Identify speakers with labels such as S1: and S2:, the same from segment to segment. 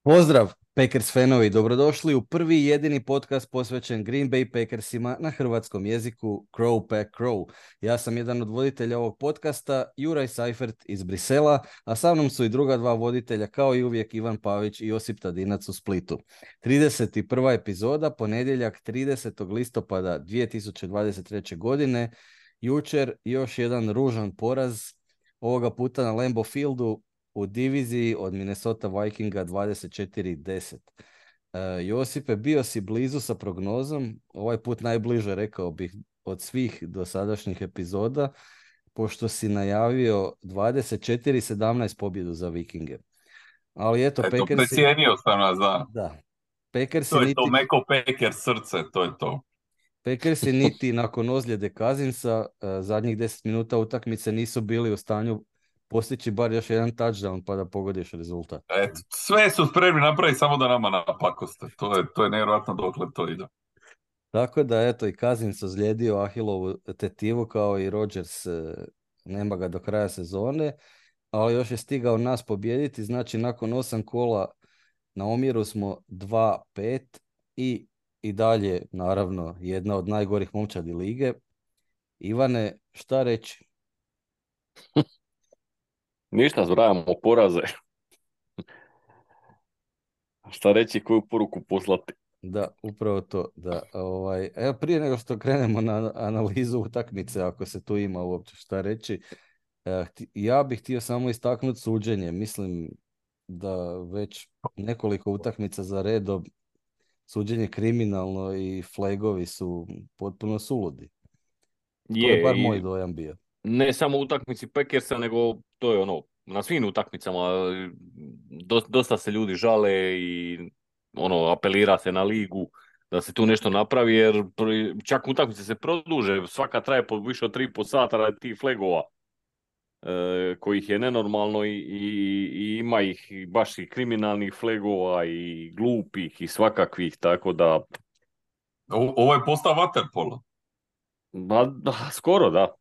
S1: Pozdrav, Packers fanovi, dobrodošli u prvi i jedini podcast posvećen Green Bay Packersima na hrvatskom jeziku Crow Pack Crow. Ja sam jedan od voditelja ovog podcasta, Juraj Seifert iz Brisela, a sa mnom su i druga dva voditelja, kao i uvijek Ivan Pavić i Josip Tadinac u Splitu. 31. epizoda, ponedjeljak 30. listopada 2023. godine. Jučer još jedan ružan poraz, ovoga puta na Lambeau Fieldu, u diviziji od Minnesota Vikinga 24-10. Josipe, bio si blizu sa prognozom, ovaj put najbliže, rekao bih, od svih dosadašnjih epizoda, pošto si najavio 24-17 pobjedu za Vikinge. Ali eto,
S2: Eto,
S1: Packersi,
S2: precijenio sam nas, da.
S1: da, Packersi
S2: To je to
S1: niti,
S2: Meko Peker srce, to je to.
S1: Packersi niti nakon ozljede Cousinsa zadnjih 10 minuta utakmice nisu bili u stanju postići bar još jedan touchdown pa da pogodiš rezultat.
S2: Eto, sve su spremni napraviti samo da nama napakoste. To je nevjerojatno dokle to ide.
S1: Tako da, eto, i Cousins ozlijedio Ahilovu tetivu kao i Rodgers, nema ga do kraja sezone, ali još je stigao nas pobijediti, znači nakon 8 kola na omjeru smo 2-5 i dalje, naravno, jedna od najgorih momčadi lige. Ivane, šta reći?
S3: Ništa, zbrajamo poraze. Šta reći, koju poruku poslati?
S1: Da, upravo to, da. Evo, prije nego što krenemo na analizu utakmice, ako se tu ima uopće šta reći, ja bih htio samo istaknuti suđenje. Mislim da već nekoliko utakmica za redom suđenje kriminalno i flagovi su potpuno suludi. To je
S3: Je,
S1: bar moj
S3: i
S1: dojam bio.
S3: ne samo u utakmici Packersa, nego to je ono, na svim utakmicama dosta se ljudi žale i ono, apelira se na ligu da se tu nešto napravi, jer čak utakmice se produže, svaka traje po više od 3,5 sata radi tih flagova, kojih je nenormalno i ima ih baš i kriminalnih flagova i glupih i svakakvih, tako da
S2: Ovo je postao waterpolo.
S3: da, skoro da.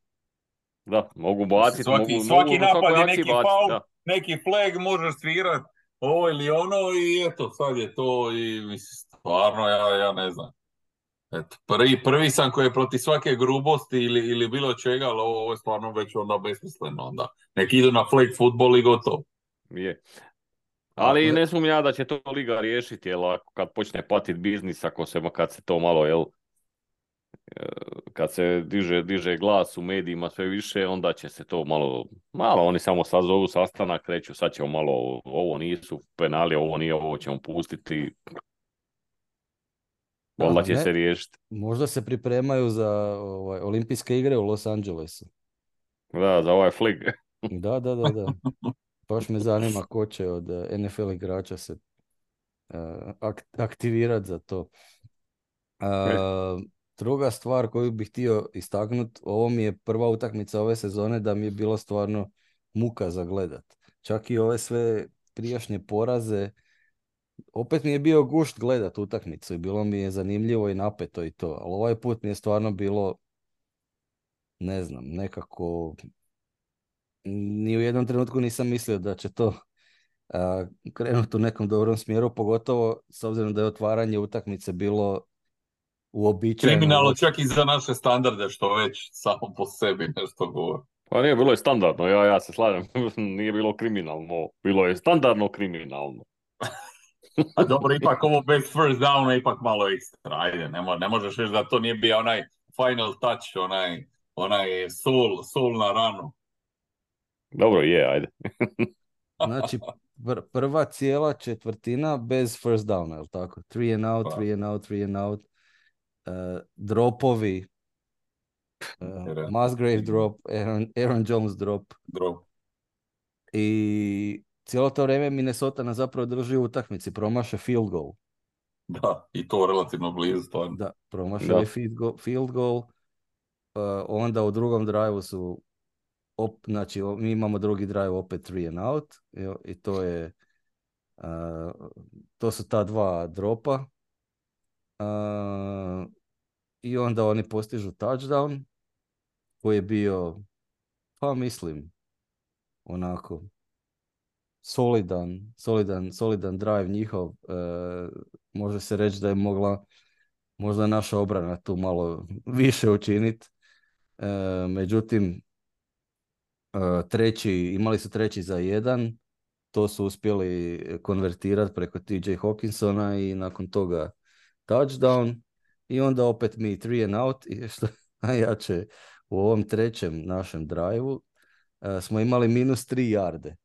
S3: Da, mogu
S2: Mislim,
S3: baciti,
S2: svaki
S3: mogu na
S2: napad
S3: svakoj
S2: je
S3: akciji
S2: neki
S3: baciti,
S2: faul,
S3: da.
S2: neki flag, možeš svirat ovo ili ono i eto, sad je to i mislim, stvarno ja ne znam. Eto, prvi sam koji je protiv svake grubosti ili bilo čega, ali ovo je stvarno već onda besmisleno onda. Neki idu na flag futbol i gotovo.
S3: Je.
S1: A,
S3: Ali ne sumnjam ja da će to liga riješiti, jer kad počne patit biznis, kad se to malo, kad se diže glas u medijima sve više, onda će se to malo oni samo sazovu sastanak, reću sad ćemo malo, ovo nisu penali, ovo nije, ovo ćemo pustiti,
S1: da,
S3: valjda
S1: ma
S3: će
S1: ne,
S3: se riješiti.
S1: možda se pripremaju za olimpijske igre u Los Angelesu.
S3: Da, za ovaj flig.
S1: Da, da, da, da. Baš me zanima ko će od NFL igrača se aktivirati za to. Druga stvar koju bih htio istaknuti, ovo mi je prva utakmica ove sezone da mi je bilo stvarno muka za gledat. Čak i ove sve prijašnje poraze, opet mi je bio gušt gledat utakmicu i bilo mi je zanimljivo i napeto i to, ali ovaj put mi je stvarno bilo, ne znam, nekako ni u jednom trenutku nisam mislio da će to krenuti u nekom dobrom smjeru, pogotovo s obzirom da je otvaranje utakmice bilo uobičajeno
S2: Kriminalno
S1: loše.
S2: čak i za naše standarde, što već samo po sebi nešto govori.
S3: Pa nije, bilo je standardno, ja se slažem, nije bilo kriminalno, bilo je standardno kriminalno.
S2: A dobro, ipak ovo bez first downa ipak malo ekstra, ajde, ne možeš reći da to nije bio onaj final touch, onaj soul na ranu.
S3: Dobro, je, ajde.
S1: Znači, prva cijela četvrtina bez first downa, je li tako? Three and out,
S2: Pa,
S1: three and out, three and out. Dropovi, Musgrave drop, Aaron Jones drop.
S2: drop.
S1: I cijelo to vrijeme Minnesota nas zapravo drži u utakmici, promaše field goal.
S2: Da, i to relativno blizu stvarno.
S1: Da, promašili
S3: Da.
S1: field goal. Onda u drugom drive su znači mi imamo drugi drive opet three and out i to je to su ta dva dropa. I onda oni postižu touchdown koji je bio, pa mislim, onako solidan drive njihov. Može se reći da je mogla možda naša obrana tu malo više učiniti. Međutim, imali su 3-1, to su uspjeli konvertirati preko TJ Hawkinsona i nakon toga touchdown i onda opet mi 3 and out i što najjače u ovom trećem našem drive-u smo imali -3 yarde.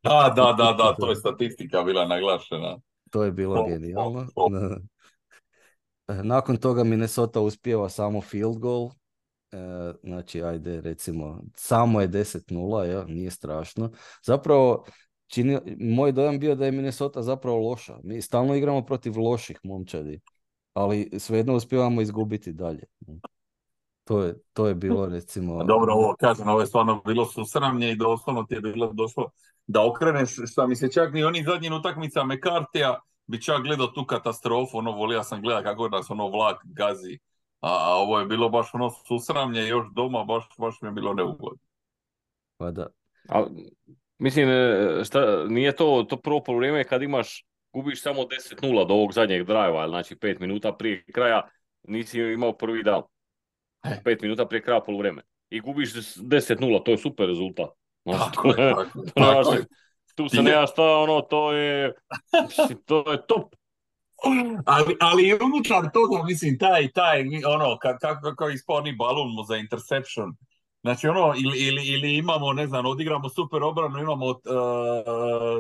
S2: Da, to je statistika bila naglašena.
S1: To je bilo genijalno. Nakon toga Minnesota uspijeva samo field goal. Znači, ajde, recimo, samo je 10-0, ja, nije strašno. Zapravo, moj dojam bio da je Minnesota zapravo loša. Mi stalno igramo protiv loših momčadi, ali svejedno uspijevamo izgubiti dalje. To je bilo, recimo...
S2: Dobro, ovo je stvarno bilo susramnje i doslovno ti je bilo došlo da okreneš, šta mi se čak ni oni zadnjim utakmicama McCarthyja bi čak gledao tu katastrofu, volio sam gledati kako nas vlak gazi. A ovo je bilo baš susramlje još doma, baš mi je bilo neugodno.
S1: Pa da.
S3: Mislim, nije to prvo vrijeme kad gubiš samo 10-0 do ovog zadnjeg drive-a, znači 5 minuta prije kraja nisi imao prvi down. 5 minuta prije kraja poluvreme. I gubiš 10-0, to je super rezultat. Tu se nema šta, to je top.
S2: Ali unutar toga, mislim, taj, kako isponi balon mu za interception. Znači, ili imamo, ne znam, odigramo super obranu, imamo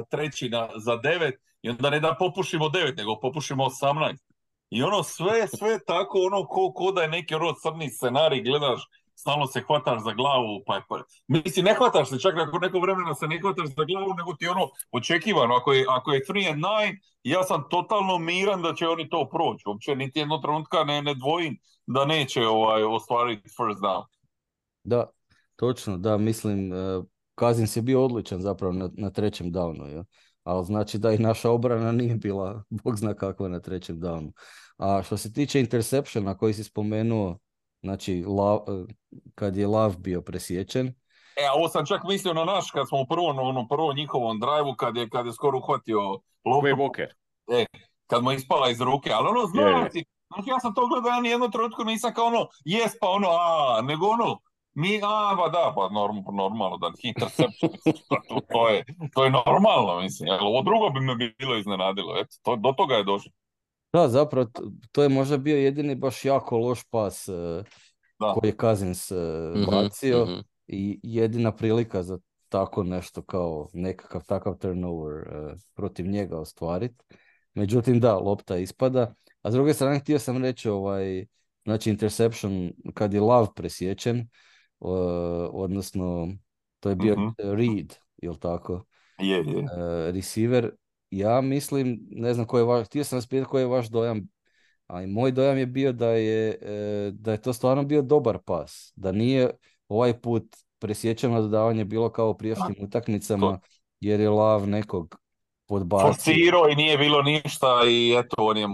S2: treći za 9 i onda ne da popušimo 9, nego popušimo 18. I sve tako, ko da je neki crni scenarij, gledaš, stalno se hvataš za glavu, mislim, ne hvataš se, čak nakon nekog vremena se ne hvataš za glavu, nego ti očekivano, ako je 3 and 9, ja sam totalno miran da će oni to proći, uopće niti jednog trenutka ne dvojim da neće ostvariti first down.
S1: Da, točno, da, mislim, Cousins je bio odličan zapravo na trećem downu, ja? Ali znači da i naša obrana nije bila, bog zna kakva, na trećem downu. A što se tiče interceptiona koji si spomenuo, znači kad je Love bio presječen.
S2: Ovo sam čak mislio na naš, kad smo u prvom njihovom drive-u, kad je skoro uhvatio
S3: loptu.
S2: Kad mu je ispala iz ruke, ali znači, ja sam to gledao, ja nijedno trenutku nisam kao jes pa nego normalno da interception, to je normalno, mislim, ovo drugo bi me bilo iznenadilo, eto, do toga je došlo.
S1: Da, zapravo, to je možda bio jedini baš jako loš pas koji je Cousins bacio i jedina prilika za tako nešto kao nekakav takav turnover protiv njega ostvariti. Međutim, da, lopta ispada. A s druge strane, htio sam reći, znači interception kad je Love presječen, odnosno to je bio Reed, jel tako?
S2: Je.
S1: Receiver. Ja mislim, ne znam koji je vaš, htio sam vas pitati koji je vaš dojam, ali moj dojam je bio da je to stvarno bio dobar pas, da nije ovaj put presječeno dodavanje bilo kao u prijašnjim utakmicama, jer je Love nekog podbacio.
S2: Forsirao i nije bilo ništa i eto, on je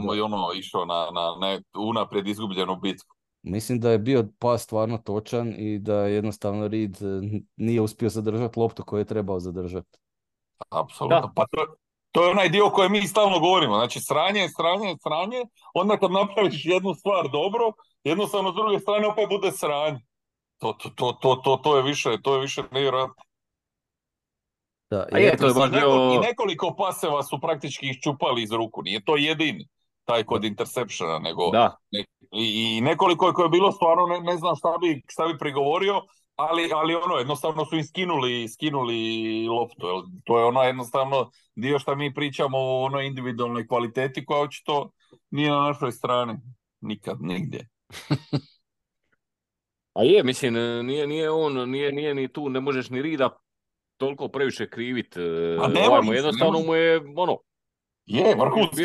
S2: išao na unaprijed izgubljenu bitku.
S1: Mislim da je bio pas stvarno točan i da jednostavno Reed nije uspio zadržati loptu koju je trebao zadržati.
S2: Apsolutno, pa to je onaj dio koji mi stalno govorimo, znači sranje, onda kad napraviš jednu stvar dobro, jednostavno s druge strane opet bude sranje. To je više nevjerojatno. I nekoliko paseva su praktički iščupali iz ruku, nije to jedini taj kod interceptiona, nego i nekoliko koje je bilo stvarno ne znam šta bi prigovorio, ali jednostavno su im skinuli loptu. To je jednostavno dio što mi pričamo o onoj individualnoj kvaliteti koja očito nije na našoj strani. Nikad, nigdje.
S3: A mislim, nije ni tu, ne možeš ni Rida toliko previše krivit. Jednostavno mu je,
S2: vrhunski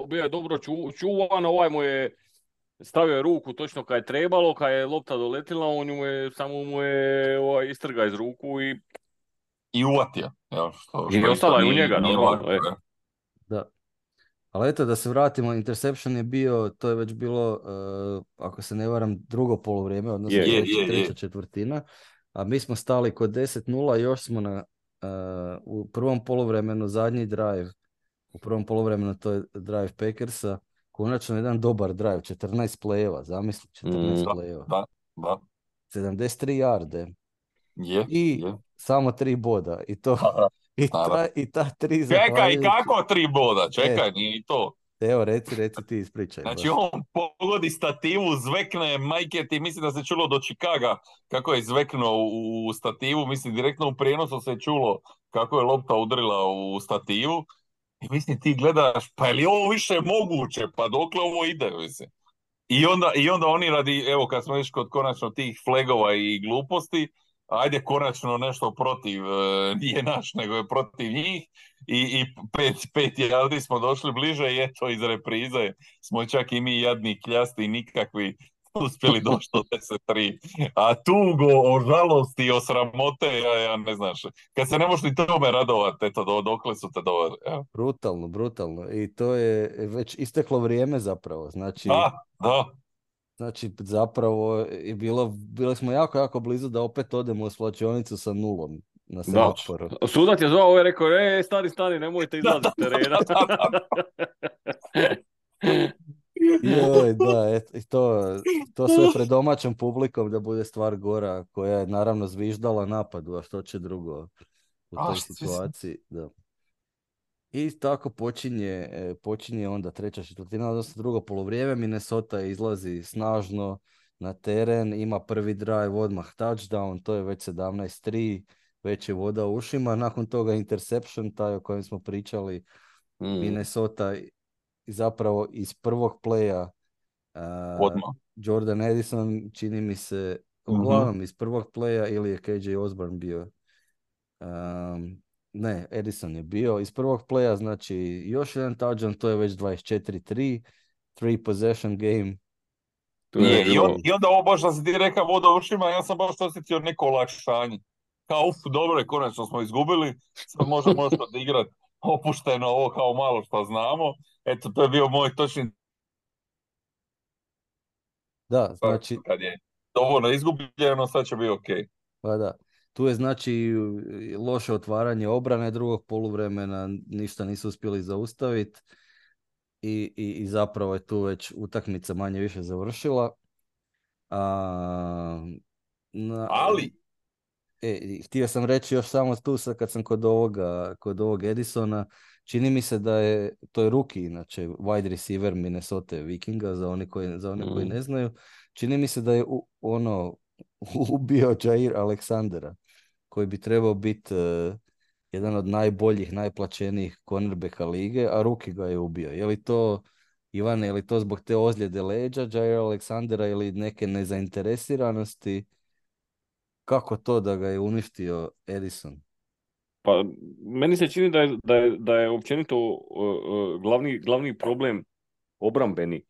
S3: bio je dobro čuvan, mu je stavio ruku točno kad je trebalo, kad je lopta doletila, samo mu je istrga iz ruku
S2: i uvatio.
S3: I ostala je u njega.
S1: Da. Ali eto, da se vratimo, interception je bio, to je već bilo, ako se ne varam, drugo poluvrijeme, odnosno treća četvrtina, a mi smo stali kod 10-0, još smo u prvom poluvremenu zadnji drive, u prvom poluvremenu to je drive Packersa, konačno jedan dobar drive, 14 play-eva, zamisli, 14
S2: Da,
S1: play-eva,
S2: da, da.
S1: 73 yarde i
S2: Je.
S1: samo 3 boda i to
S2: Naravno, naravno.
S1: i ta 3
S2: Čekaj,
S1: zahvaljujući.
S2: kako 3 boda? Čekaj, nije i to.
S1: Evo, reci ti, ispričaj
S2: Znači
S1: baš.
S2: on pogodi stativu, zvekne, majke ti, mislim da se čulo do Chicaga kako je zveknuo u stativu, mislim direktno u prijenosu se čulo kako je lopta udrila u stativu i mislim ti gledaš, pa je li ovo više moguće, pa dokle ovo ide, mislim. I onda oni radi, evo kad smo još kod konačno tih flegova i gluposti, ajde konačno nešto protiv, nije naš, nego je protiv njih i pet yardi smo došli bliže i eto iz reprize smo čak i mi jadni kljasti nikakvi uspjeli doći do 10-3. A tugo o žalosti i o sramote, ja ne znaš, kad se ne možeš ni tome radovati, eto dokle su te doveli. Ja.
S1: Brutalno. I to je već isteklo vrijeme zapravo.
S2: Da.
S1: Znači, zapravo je bili smo jako blizu da opet odemo u svlačionicu sa nulom na
S3: Da,
S1: semaforu.
S3: sudac je zvao, je rekao, stani, nemojte izlaziti s terena.
S1: Joj, da, i to sve pred domaćom publikom da bude stvar gora, koja je naravno zviždala napadu, a što će drugo u toj situaciji. Da. I tako počinje onda treća četvrtina, odnosno drugo poluvrijeme. Minnesota izlazi snažno na teren, ima prvi drive, odmah touchdown, to je već 17-3, već je voda u ušima. Nakon toga interception, taj o kojem smo pričali, Minnesota zapravo iz prvog playa Jordan Edison, čini mi se, uglavnom iz prvog playa, ili je KJ Osborne bio. Ne, Edison je bio iz prvog playa, znači još jedan touchdown, to je već 24-3, 3 possession game.
S2: I onda ovo baš da si ti rekao voda u ušima, ja sam baš osjetio neko olakšanje. Kao, dobro je, konačno smo izgubili, sad možemo još odigrati opušteno ovo kao malo što znamo. Eto, to je bio moj točni...
S1: Da, znači...
S2: Kad je dovoljno izgubljeno, sad će biti okej.
S1: Pa da. Tu je znači loše otvaranje obrane drugog poluvremena, ništa nisu uspjeli zaustaviti i zapravo je tu već utakmica manje više završila.
S2: Ali?
S1: Htio sam reći još samo tu sad kad sam kod ovog Edisona, čini mi se da je, to je rookie inače, wide receiver Minnesota Vikinga, za one koji ne znaju, čini mi se da je ubio Jair Alexandera, koji bi trebao biti jedan od najboljih, najplaćenijih cornerbacka lige, a rookie ga je ubio. Je li to, Ivane, je li to zbog te ozljede leđa Jair Alexandera ili neke nezainteresiranosti? Kako to da ga je uništio Edison?
S3: Pa, meni se čini da je općenito glavni problem obrambeni.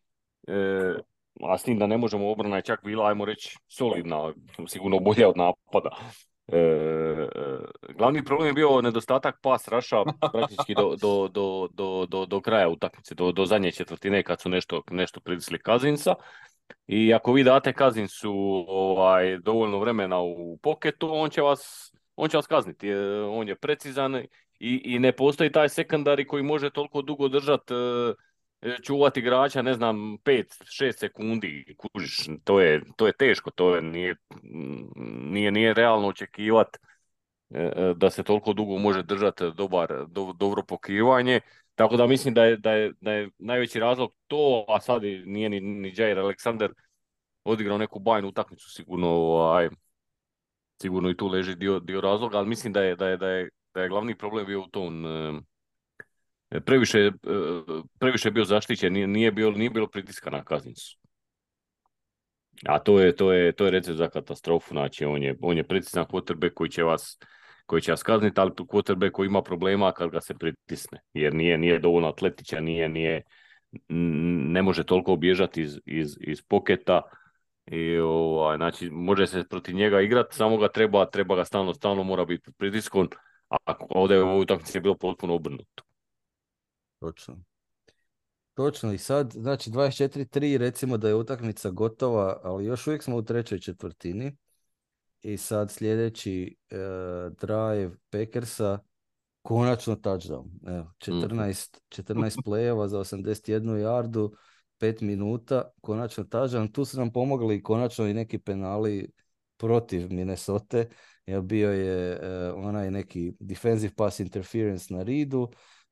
S3: A s tim da ne možemo, obrana je čak bila, ajmo reći, solidna, sigurno bolja od napada. Glavni problem je bio nedostatak pass rusha praktički do kraja utakmice, do zadnje četvrtine kad su nešto pritisli Cousinsa. I ako vi date Cousinsu dovoljno vremena u poketu, on će vas kazniti. On je precizan i ne postoji taj sekundari koji može toliko dugo držati, čuvati igrača, ne znam, 5-6 sekundi, kužiš, to je teško, nije realno očekivati da se toliko dugo može držati dobro pokrivanje. Tako da mislim da je najveći razlog to, a sad nije ni Jair Alexander odigrao neku bajnu utakmicu, sigurno i tu leži dio razloga, ali mislim da je glavni problem bio u tom, previše je bio zaštićen, nije bilo pritiska na Cousinsu. A to je recept za katastrofu, znači on je precizan quarterback koji će vas kazniti, ali quarterback koji ima problema kad ga se pritisne, jer nije dovoljno atletičan, ne može toliko bježati iz poketa i znači može se protiv njega igrati, samo ga treba ga stalno mora biti pod pritiskom, a ovdje u ovoj utakmici je bilo potpuno obrnuto.
S1: Točno, i sad, znači 24-3, recimo da je utakmica gotova, ali još uvijek smo u trećoj četvrtini. i sad sljedeći drive Packersa, konačno touchdown. Evo, 14 play-eva za 81 yardu, 5 minuta, konačno touchdown. Tu su nam pomogli konačno i neki penali protiv Minnesota, jer bio je onaj neki defensive pass interference na Reedu,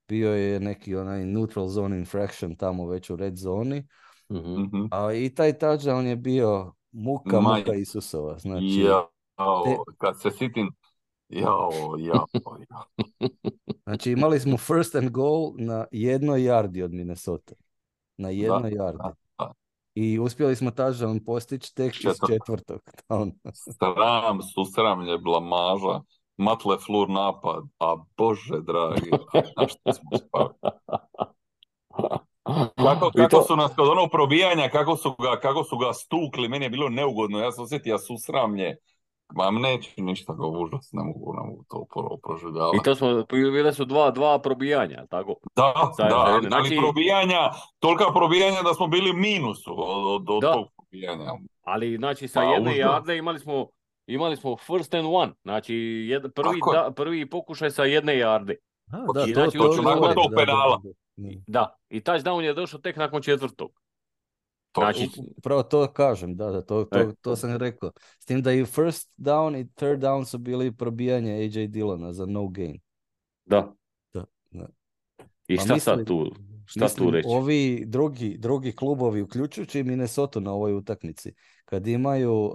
S1: bio je neki onaj neutral zone infraction tamo već u red zoni, a i taj touchdown je bio muka Isusova. Znači,
S2: jao, kad se sitim, jao.
S1: Znači imali smo first and goal na 1 yardi od Minnesota. Na 1 yardi.
S2: Da.
S1: I uspjeli smo touchdown postići tek iz 4.
S2: Sram, susramlje, blamaža, Matt LaFleur napad, a bože dragi, na što smo spali. Kako su nas kod onog probijanja, kako su ga stukli, meni je bilo neugodno, ja sam osjetio susramlje. Neću ništa go užas, ne mogu to proživljavati.
S3: I to smo, bile su dva probijanja, tako?
S2: Da,
S3: Znači,
S2: ali probijanja, tolika probijanja da smo bili minusu od tog probijanja.
S3: Ali znači sa jedne yarde imali smo first and one, znači prvi pokušaj sa 1 yarde.
S2: Nakon tog penala.
S3: Da, i touchdown je došao tek nakon 4.
S1: Znači, upravo to kažem, to sam rekao. S tim da i first down i third down su bili probijanje AJ Dillona za no gain.
S3: Da. I šta sad tu? Šta tu reći?
S1: Ovi drugi klubovi, uključujući Minnesota na ovoj utakmici, kad imaju,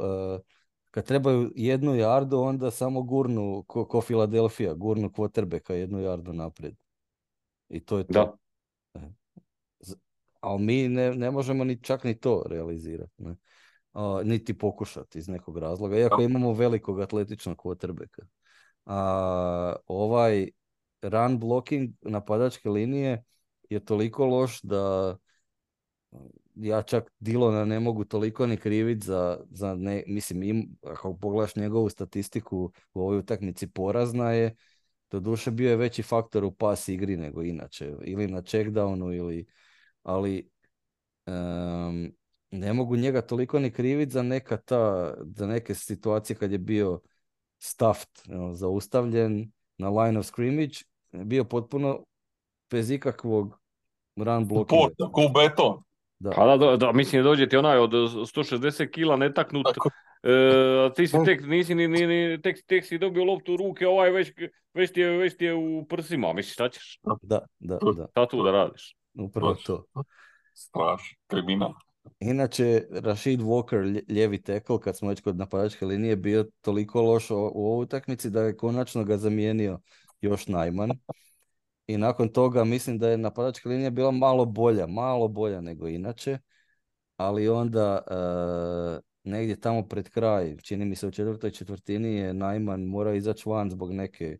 S1: kad trebaju 1 yardu, onda samo gurnu ko Philadelphia, gurnu quarterbacka 1 yardu naprijed. I to je to.
S3: Da.
S1: Ali mi ne možemo čak ni to realizirati. Ne? Niti pokušati iz nekog razloga. Iako imamo velikog atletičnog quarterbacka. Ovaj run blocking napadačke linije je toliko loš da ja čak Dillona ne mogu toliko ni kriviti za ne, mislim, ako pogledaš njegovu statistiku u ovoj utakmici, porazna je. Doduše bio je veći faktor u pas igri nego inače. Ili na checkdownu ali ne mogu njega toliko ni kriviti za neke situacije kad je bio stuffed, zaustavljen na line of scrimmage, bio potpuno bez ikakvog run blockinga.
S2: Ko beton.
S3: Da, mislim, dođe ti onaj od 160 kila netaknut, ti si tek si dobio loptu u ruke, ovaj već ti je u prsima, misliš, šta ćeš?
S1: Da.
S3: Šta tu da radiš?
S1: Upravo to.
S2: Strašno, kriminal.
S1: Inače, Rashid Walker, lijevi tackle, kad smo već kod napadačke linije, bio toliko loš u ovoj utakmici da je konačno ga zamijenio još Najman. I nakon toga mislim da je napadačka linija bila malo bolja nego inače, ali onda negdje tamo pred kraj, čini mi se u 4. je Najman morao izaći van zbog neke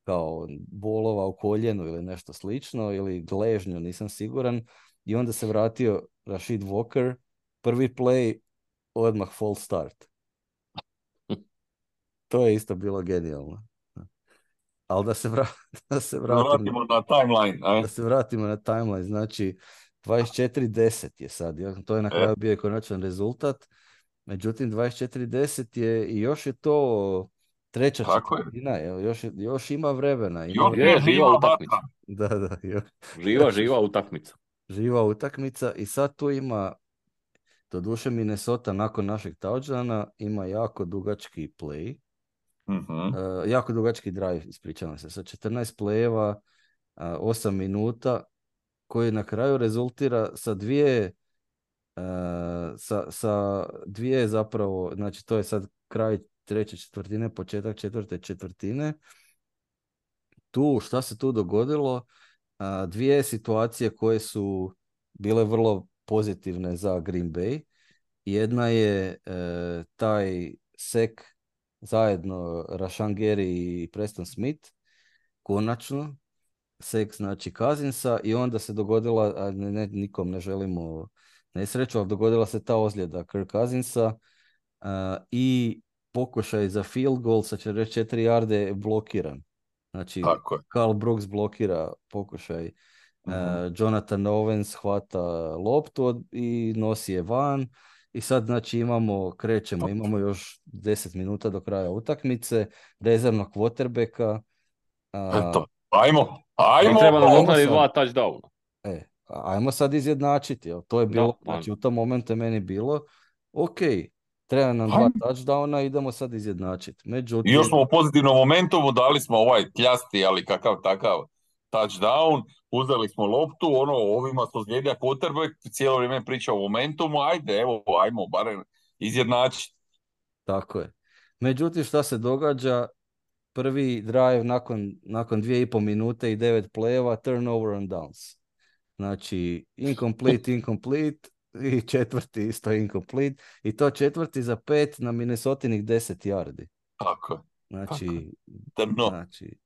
S1: kao bolova u koljenu ili nešto slično, ili gležnju, nisam siguran. I onda se vratio Rashid Walker, prvi play, odmah false start. To je isto bilo genijalno. Ali da se vratimo
S2: na timeline.
S1: Da se vratimo na timeline, znači 24-10 je sad, to je na kraju bio konačan rezultat. Međutim, 24-10 je i još je to treća četvrtina, još ima vremena.
S3: Je živa utakmica.
S1: Da.
S3: Živa utakmica.
S1: Živa utakmica i sad tu ima, doduše Minnesota nakon našeg touchdowna ima jako dugački play, jako dugački drive, ispričavam se, sa 14 playeva, 8 minuta, koji na kraju rezultira sa dvije zapravo, znači to je sad kraj treće četvrtine, početak četvrte četvrtine. Tu, šta se tu dogodilo? Dvije situacije koje su bile vrlo pozitivne za Green Bay. Jedna je taj sek zajedno Rashan Gary i Preston Smith, konačno sek znači Cousinsa, i onda se dogodila, nikom ne želimo nesreću, ali dogodila se ta ozljeda Kirk Cousinsa i pokušaj za field goal sa 44 yarde blokiran. Znači, Karl Brooks blokira pokušaj, Jonathan Owens hvata loptu i nosi je van I sad znači krećemo, imamo još 10 minuta do kraja utakmice, rezervnog quarterbacka.
S2: Eto, ajmo.
S3: I treba nam
S1: Ajmo
S3: doknaditi
S1: sad.
S3: 2 touchdowna.
S1: Ajmo sad izjednačiti. To je bilo, znači u tom momentu je meni bilo, ok, treba nam 2 touchdowna, idemo sad izjednačiti.
S2: I
S1: Međutim,
S2: još smo u pozitivnom momentumu, dali smo ovaj tljasti, ali kakav takav touchdown, uzeli smo loptu, ovima smo zlijedja quarterback, cijelo vrijeme priča o momentumu, ajmo barem izjednačiti.
S1: tako je. Međutim, šta se događa? Prvi drive nakon 2,5 minute i 9 play-eva, turnover on downs. Znači, incomplete i četvrti isto incomplete. I to četvrti za 5 na Minnesotinih 10 yardi.
S2: Tako je.
S1: Znači,
S2: Drno.
S1: znači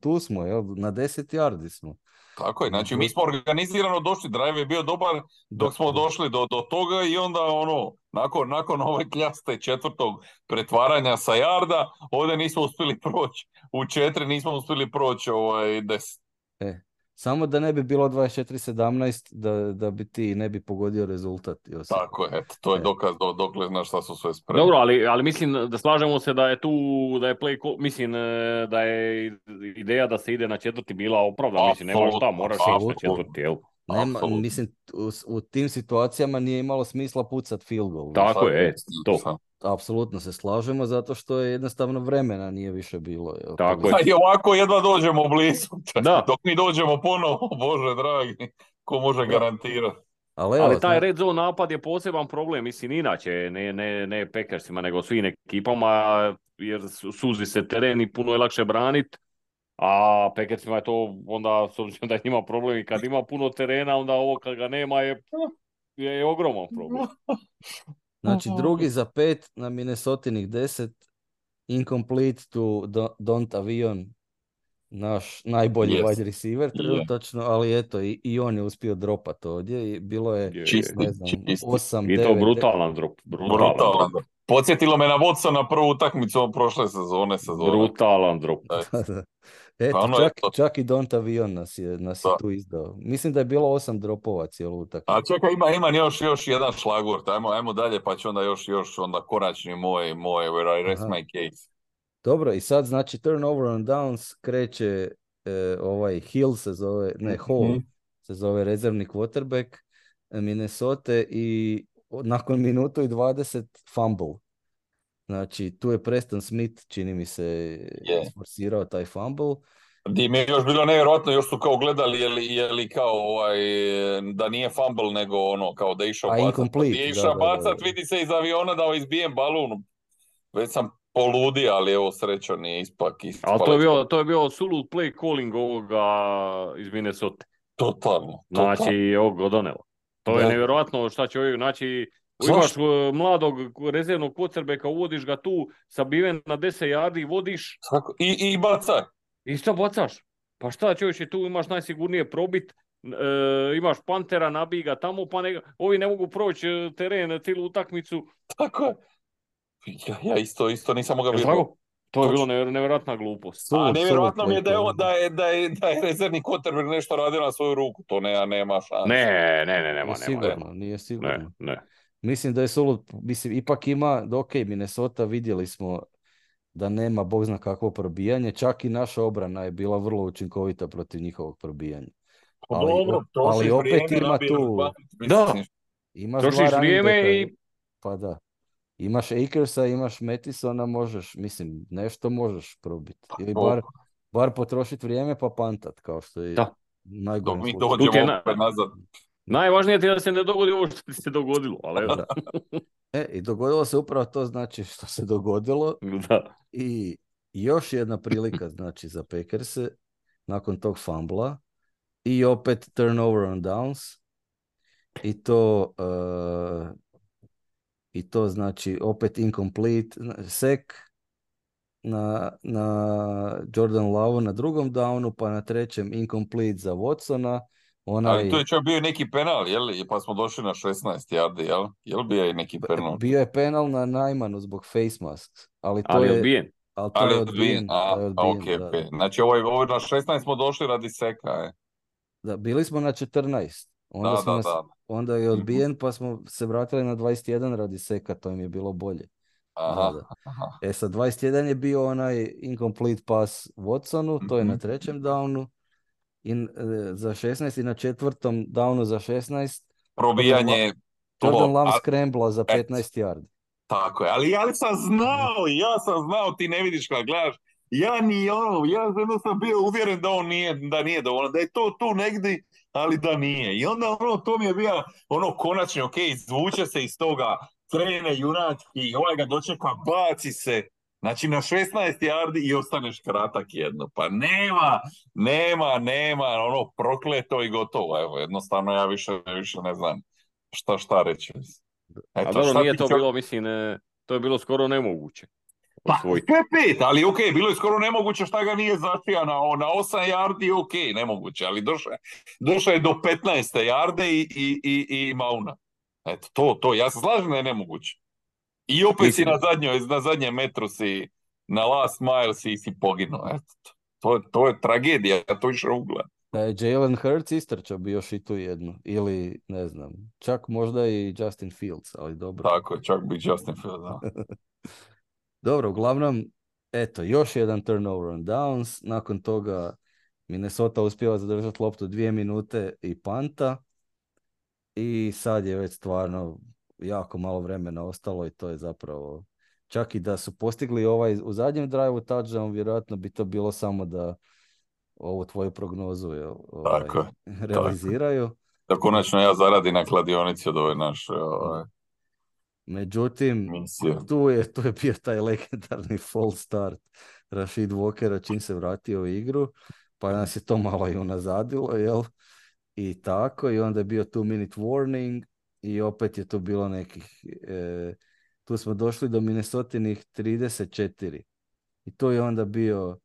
S1: tu smo, jel? Na 10 yardi smo.
S2: Tako je, znači mi smo organizirano došli, drive je bio dobar dok smo došli do toga i onda nakon ove kljaste četvrtog pretvaranja sa jarda, ovdje nismo uspjeli proći, u 4 nismo uspjeli proći 10.
S1: Samo da ne bi bilo 24-17, da bi ti ne bi pogodio rezultat. Josip.
S2: Tako je, to je dokaz dokle znaš šta su sve spremni.
S3: Dobro, ali mislim da slažemo se da je tu, da je mislim da je ideja da se ide na četvrti bila opravdana. Mislim, nema šta, moraš ići na četvrti, jel?
S1: Nema, mislim, u tim situacijama nije imalo smisla pucat field goal.
S3: Tako je, to.
S1: Apsolutno se slažemo, zato što je jednostavno vremena nije više bilo. Jel?
S3: Tako je.
S2: I ovako jedva dođemo blizu.
S3: Da.
S2: Dok mi dođemo ponovo, Bože dragi, ko može garantirati.
S3: Ali taj red zone napad je poseban problem, mislim, inače, ne Packersima, nego svim ekipama, jer suzi se teren i puno je lakše braniti. A Packersima je to onda, s obzirom da ima problem i kad ima puno terena, onda ovo kad ga nema je ogroman problem.
S1: Znači, drugi za 5 na Minnesotinih 10, incomplete to Don't Avion, naš najbolji wide receiver trenutačno, ali eto, i on je uspio dropat ovdje i bilo je, ne znam, 8,
S3: I
S1: 9...
S3: to brutalan drop. Brutalan drop.
S2: Podsjetilo me na Watsona prvu utakmicu prošle sezone.
S3: Brutalan drop.
S1: Eto, čak i Don't Avion nas je tu izdao. Mislim da je bilo 8 dropova cijelu utakmicu.
S2: A čekaj, imam još jedan šlagvort. Ajmo dalje, pa će onda još onda konačni moj where I rest my case.
S1: Dobro, i sad znači turnover on downs kreće Hill se zove, Hall se zove rezervni quarterback Minnesota i nakon minutu i 20 fumble. Znači, tu je Preston Smith, čini mi se, isforsirao taj fumble.
S2: Di mi je još bilo nevjerojatno, još su kao gledali je li kao da nije fumble, nego kao da je išao bacat. Da je išao bacat, vidi se iz aviona da izbijem balun. Već sam poludi, ali evo sreća nije ispak.
S3: Ali to je bio sulud play calling ovoga iz Minnesota.
S2: Totalno.
S3: Znači, ovog donelo. To je nevjerojatno šta će ovdje, znači, imaš mladog rezervnog quarterbacka, uvodiš ga tu, sabiven na 10 yardi, vodiš.
S2: I bacaj.
S3: I šta bacaš? Pa šta čovječe, tu imaš najsigurnije probit, imaš Pantera, nabij ga tamo, pa ovi ne mogu proći teren, cijelu utakmicu.
S2: Tako je. Ja isto nisam mogao vjerovati.
S3: To je bilo nevjerojatna glupost.
S2: A nevjerojatno mi je da je rezervni quarterback nešto radio na svoju ruku. To nema šanse.
S1: Nije sigurno. Ne. Mislim da je ipak ima, Minnesota vidjeli smo da nema bog zna kakvo probijanje, čak i naša obrana je bila vrlo učinkovita protiv njihovog probijanja. Ali opet ima tu...
S3: Da,
S1: imaš
S3: trošiš vrijeme i...
S1: Pa da. Imaš Akersa, imaš Mattisona, nešto možeš probiti. Ili bar potrošiti vrijeme pa pantat, kao što je najgore.
S2: Mi dođemo opet nazad.
S3: Najvažnije je da se ne dogodi ovo što se dogodilo, ali evo.
S1: I dogodilo se upravo to, znači, što se dogodilo.
S3: Da.
S1: I još jedna prilika, znači, za Packerse nakon tog fumbla i opet turnover on downs i to znači opet incomplete sack na Jordan Love na drugom downu, pa na trećem incomplete za Watsona.
S2: Ali tu je čak bio neki penal, pa smo došli na 16 yardi, jel bio je neki penal?
S1: Bio je penal na Najmanu zbog face masks, ali
S3: je odbijen.
S1: Ali je odbijen.
S2: Okay. Znači ovo na 16 smo došli radi seka.
S1: Da, bili smo na 14. Onda onda je odbijen, pa smo se vratili na 21 radi seka, to im je bilo bolje.
S2: Aha,
S1: Da.
S2: aha.
S1: Sa 21 je bio onaj incomplete pass Watsonu, to je na
S2: Mhm.
S1: trećem downu, za 16 i na četvrtom downu za 16
S2: Probijanje
S1: Jordan
S2: tlo.
S1: Love scrambla za
S2: Eto,
S1: 15 yardi.
S2: tako je, ali sam znao, ja sam znao, ti ne vidiš kad gledaš, ja jedno sam bio uvjeren da on nije, da nije dovoljno, da je to tu negdje, ali da nije. I onda to mi je bio konačno, ok, izvuče se iz toga, krene junački, ovaj ga dočeka, baci se, znači na 16 yardi i ostaneš kratak jedno. Pa nema, prokleto i gotovo, evo, jednostavno ja više ne znam šta reći.
S3: A
S2: Eto,
S3: dobro,
S2: šta
S3: nije
S2: ti
S3: to bilo, mislim, to je bilo skoro nemoguće
S2: Pa,
S3: osvojiti.
S2: sve pet, ali ok, bilo je skoro nemoguće šta ga nije zaštija na 8 yardi, ok, nemoguće, ali došao je do 15 yarde i mauna. Eto, ja se slažem da je nemoguće. I opet si
S3: Mislim,
S2: na zadnjem metru si, na last mile si poginuo, eto. To je tragedija, ja to više ugledam.
S1: Da je Jalen Hurts istrčao bi još i tu jednu. Ili, ne znam, čak možda i Justin Fields, ali dobro.
S2: Tako je, čak bi Justin Fields, da.
S1: Dobro, uglavnom, eto, još jedan turnover on downs. Nakon toga Minnesota uspjeva zadržati loptu 2 minute i panta. I sad je već stvarno jako malo vremena ostalo i to je zapravo, čak i da su postigli ovaj u zadnjem drive-u touchdown, vjerojatno bi to bilo samo da ovu tvoju prognozu
S2: Tako je,
S1: realiziraju.
S2: da konačno ja zaradim na kladionici od ove naše
S1: Međutim,
S2: misije.
S1: tu je bio taj legendarni false start Rashid Walkera čim se vratio u igru, pa nas je to malo i unazadilo, jel? I tako, i onda je bio 2-minute warning i opet je to bilo nekih, tu smo došli do Minnesotinih 34 i to je onda bio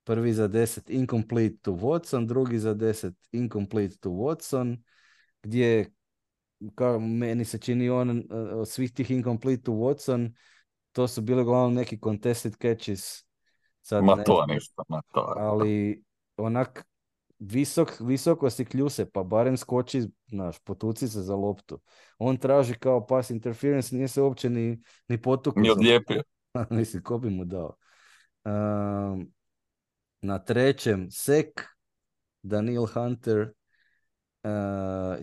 S1: prvi za 10 incomplete to Watson, drugi za 10 incomplete to Watson, gdje kao meni se čini od svih tih incomplete to Watson, to su bile uglavnom neki contested catches, sad
S2: Ma
S1: ne
S2: to
S1: znam,
S2: ništa, ma to.
S1: ali onak visoko si kljuse, pa barem skoči, znaš, potuci se za loptu. On traži kao pass interference, nije se uopće ni potuko
S2: Ni
S1: za loptu.
S2: odlijepio.
S1: Mislim, ko bi mu dao. Na trećem sek, Daniel Hunter,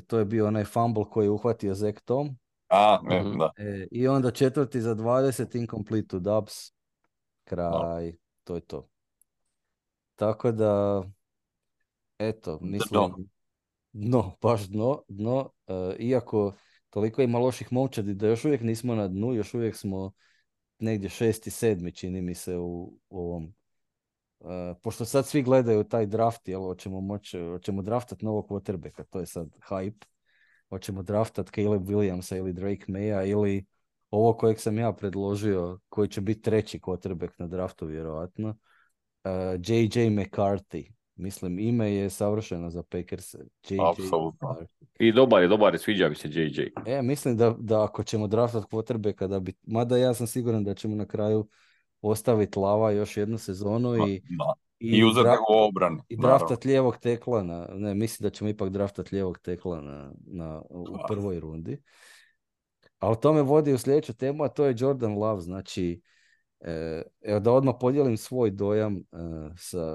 S1: to je bio onaj fumble koji je uhvatio Zach Tom.
S2: Da.
S1: I onda četvrti za 20, incomplete to Dubs. Kraj, to je to. Tako da, eto, mislim, baš dno. Iako toliko ima loših momčadi da još uvijek nismo na dnu, još uvijek smo negdje 6. 7. čini mi se u ovom. Pošto sad svi gledaju taj draft, jel, hoćemo draftat novog quarterbacka, to je sad hype. Hoćemo draftat Caleb Williamsa ili Drake Maya ili ovo kojeg sam ja predložio, koji će biti treći quarterback na draftu vjerojatno. J.J. McCarthy. Mislim, ime je savršeno za Packers.
S2: Apsolutno.
S3: I dobar je, sviđa mi se JJ.
S1: Mislim da ako ćemo draftat quarterbacka, da bi, mada ja sam siguran da ćemo na kraju ostaviti Lava još jednu sezonu
S2: i uzeti ga u obrani.
S1: I draftat lijevog tekla, mislim da ćemo ipak draftat lijevog tekla u prvoj rundi. A o tome vodi u sljedeću temu, a to je Jordan Love. Znači, evo da odmah podijelim svoj dojam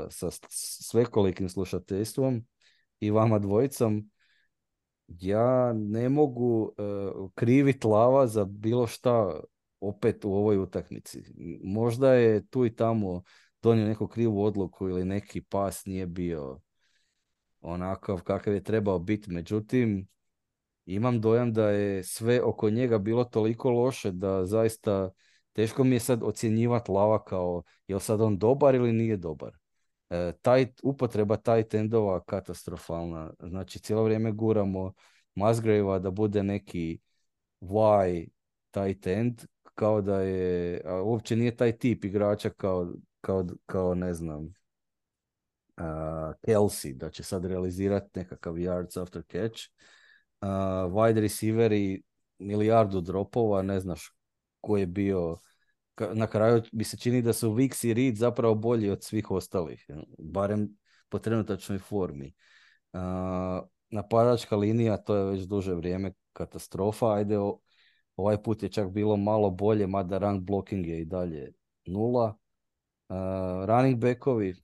S1: sa svekolikim slušateljstvom i vama dvojicom. Ja ne mogu kriviti Lava za bilo šta opet u ovoj utakmici. Možda je tu i tamo donio neku krivu odluku ili neki pas nije bio onakav kakav je trebao biti. Međutim, imam dojam da je sve oko njega bilo toliko loše da zaista teško mi je sad ocjenjivati Lava kao je li sad on dobar ili nije dobar. Upotreba tight endova katastrofalna. Znači, cijelo vrijeme guramo Musgrave-a da bude neki Y tight end, kao da je, a uopće nije taj tip igrača kao ne znam, Kelsey, da će sad realizirati nekakav yards after catch. Wide receiveri, milijardu dropova, ne znaš ko je bio. Na kraju mi se čini da su Wicks i Reed zapravo bolji od svih ostalih, barem po trenutačnoj formi. napadačka linija, to je već duže vrijeme katastrofa. Ajde, ovaj put je čak bilo malo bolje, mada rank blocking je i dalje nula. Running backovi,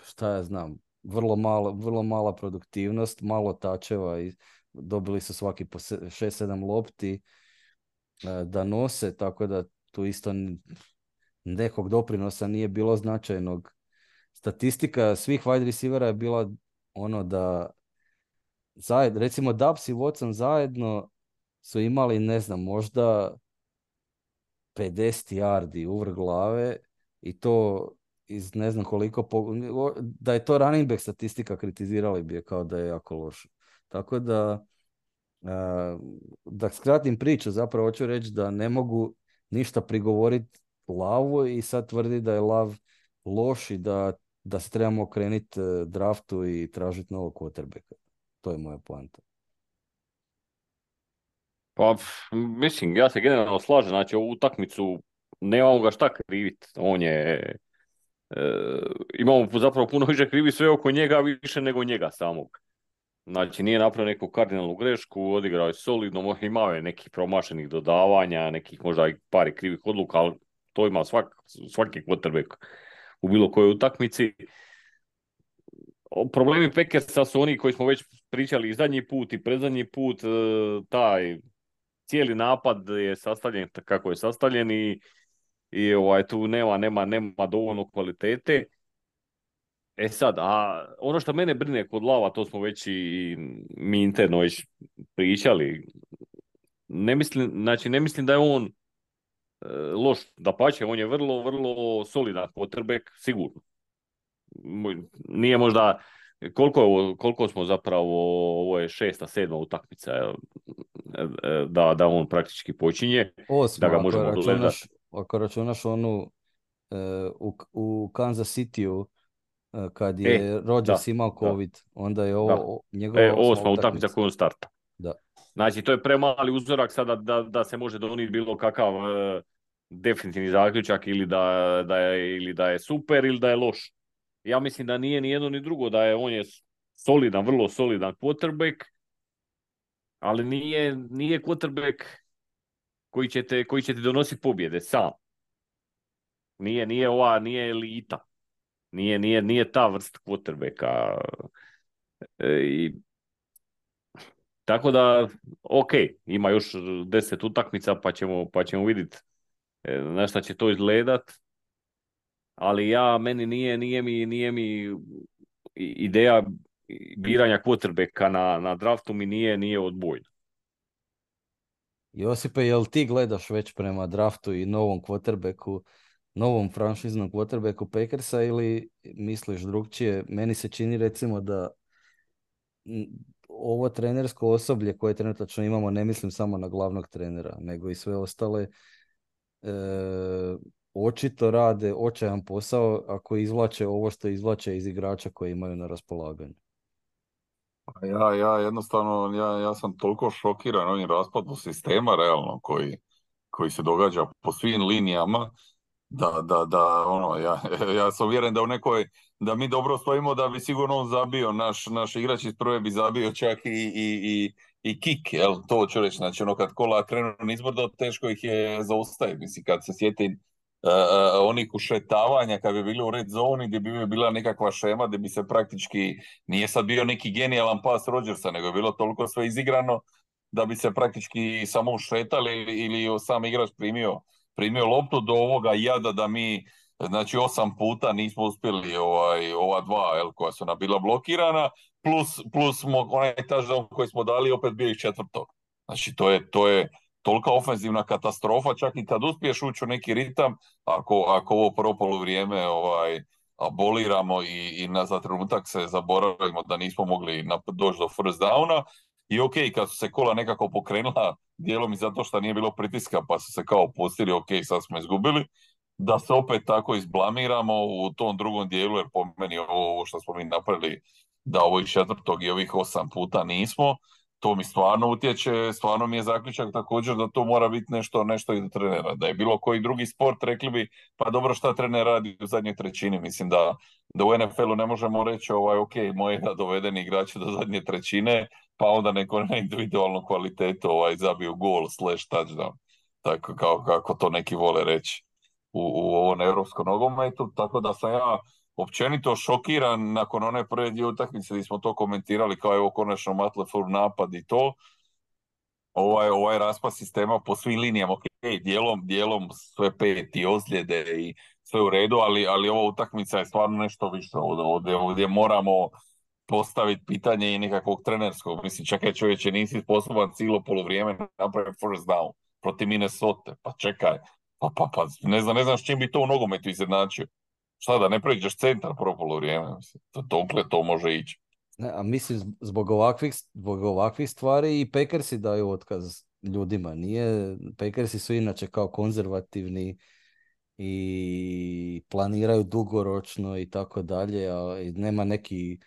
S1: šta ja znam, vrlo mala produktivnost, malo tačeva i dobili su svaki po 6-7 lopti da nose, tako da tu isto nekog doprinosa nije bilo značajnog. Statistika svih wide receivera je bila ono da recimo Dubs i Watson zajedno su imali, ne znam, možda 50 yardi uvrh glave i to iz ne znam koliko, da je to running back statistika kritizirali bi je kao da je jako loše. Tako da skratim priču, zapravo hoću reći da ne mogu ništa prigovoriti Lavu i sad tvrdi da je Lav loš i da se trebamo okrenuti draftu i tražiti novog quarterbacka. To je moja poanta.
S3: Pa, mislim, ja se generalno slažem, znači ovu utakmicu nemamo ga šta kriviti. On je, imamo zapravo puno više krivi sve oko njega, više nego njega samog. Znači nije napravio neku kardinalnu grešku, odigrao je solidno, imao je nekih promašenih dodavanja, nekih možda i par krivih odluka, ali to ima svaki quarterback u bilo kojoj utakmici. Problemi Packersa su oni koji smo već pričali i zadnji put i predzadnji put, taj cijeli napad je sastavljen kako je sastavljen i tu nema dovoljno kvalitete. E sad, a ono što mene brine kod Lava, to smo već i mi interno već pričali, ne mislim da je on loš, dapače, on je vrlo, vrlo solidan quarterback, sigurno. Nije možda, koliko smo zapravo, ovo je 6. 7. utakmica, da on praktički počinje,
S1: 8.
S3: da ga možemo gledati.
S1: Ako računaš onu u Kansas Cityu, kad je Rodgers imao COVID, onda je ovo njegova
S3: 8. utakmica koju on starta.
S1: Da.
S3: Znači, to je premali uzorak sada da se može donijeti bilo kakav definitivni zaključak ili da je super ili da je loš. Ja mislim da nije ni jedno ni drugo, on je solidan, vrlo solidan quarterback, ali nije quarterback koji će ti donositi pobjede sam. Nije elita. Nije ta vrsta quarterbacka. Tako da, ok, ima još 10 utakmica pa ćemo vidjeti na šta će to izgledat. Ali meni nije mi ideja biranja quarterbacka na draftu mi nije odbojna.
S1: Josipe, jel ti gledaš već prema draftu i novom quarterbacku, novom franšiznom quarterbacku Packersa ili misliš drugčije? Meni se čini recimo da ovo trenersko osoblje koje trenutačno imamo, ne mislim samo na glavnog trenera, nego i sve ostale, očito rade očajan posao ako izvlače ovo što izvlače iz igrača koje imaju na raspolaganju.
S2: Ja jednostavno, ja sam toliko šokiran ovim raspadom sistema realno koji se događa po svim linijama, ja sam uvjeren da da mi dobro stojimo, da bi sigurno on zabio, naš igrač iz prve bi zabio čak i kick, jel, to ću reći, znači kad kola krenu nizbrdo, teško ih je zaustaviti, mislim, kad se sjetim onih ušetavanja kad bi bili u red zoni gdje bi bila nekakva šema gdje bi se praktički, nije sad bio neki genijalan pas Rodgersa, nego je bilo toliko sve izigrano da bi se praktički samo ušetali ili sam igrač primio loptu, do ovoga jada da mi, znači 8 puta nismo uspjeli ova dva koja su nam bila blokirana, plus onaj touchdown koji smo dali opet bio iz četvrtog. Znači to je tolika ofenzivna katastrofa, čak i kad uspiješ ući u neki ritam, ako ovo prvo poluvrijeme aboliramo i za trenutak se zaboravimo da nismo mogli doći do first downa, i ok, kad su se kola nekako pokrenula, dijelom i zato što nije bilo pritiska, pa su se kao pustili, ok, sad smo izgubili, da se opet tako izblamiramo u tom drugom dijelu, jer po meni ovo što smo mi napravili, da ovo iz četvrtog i ovih 8 puta nismo, to mi stvarno utječe, stvarno mi je zaključak također da to mora biti nešto i do trenera. Da je bilo koji drugi sport, rekli bi, pa dobro šta trener radi u zadnjoj trećini. Mislim da u NFL-u ne možemo reći, ok, moje da dovedeni igrači do zadnje trećine, pa onda neko na individualnu kvalitetu zabiju gol / touchdown. Tako kako to neki vole reći u ovom europskom nogometu. Tako da sam ja općenito šokiran nakon one prve dvije utakmice gdje smo to komentirali kao evo konačno Matt LaFleur napad i to. Ovaj raspad sistema po svim linijama, ok, dijelom sve pet i ozljede i sve u redu, ali ova utakmica je stvarno nešto više ovdje moramo postaviti pitanje i nekakvog trenerskog. Mislim, čekaj čovječe, nisi sposoban cijelo polovrijeme napraviti first down protiv Minnesota, pa čekaj, pa ne znam s čim bi to u nogometu izjednačio. Šta da ne pređeš centar prvo polovrijeme, mislim, dokle to može ići.
S1: Ne, a mislim, zbog ovakvih stvari i Packersi daju otkaz ljudima. Packersi su inače kao konzervativni i planiraju dugoročno i tako dalje, a nema neki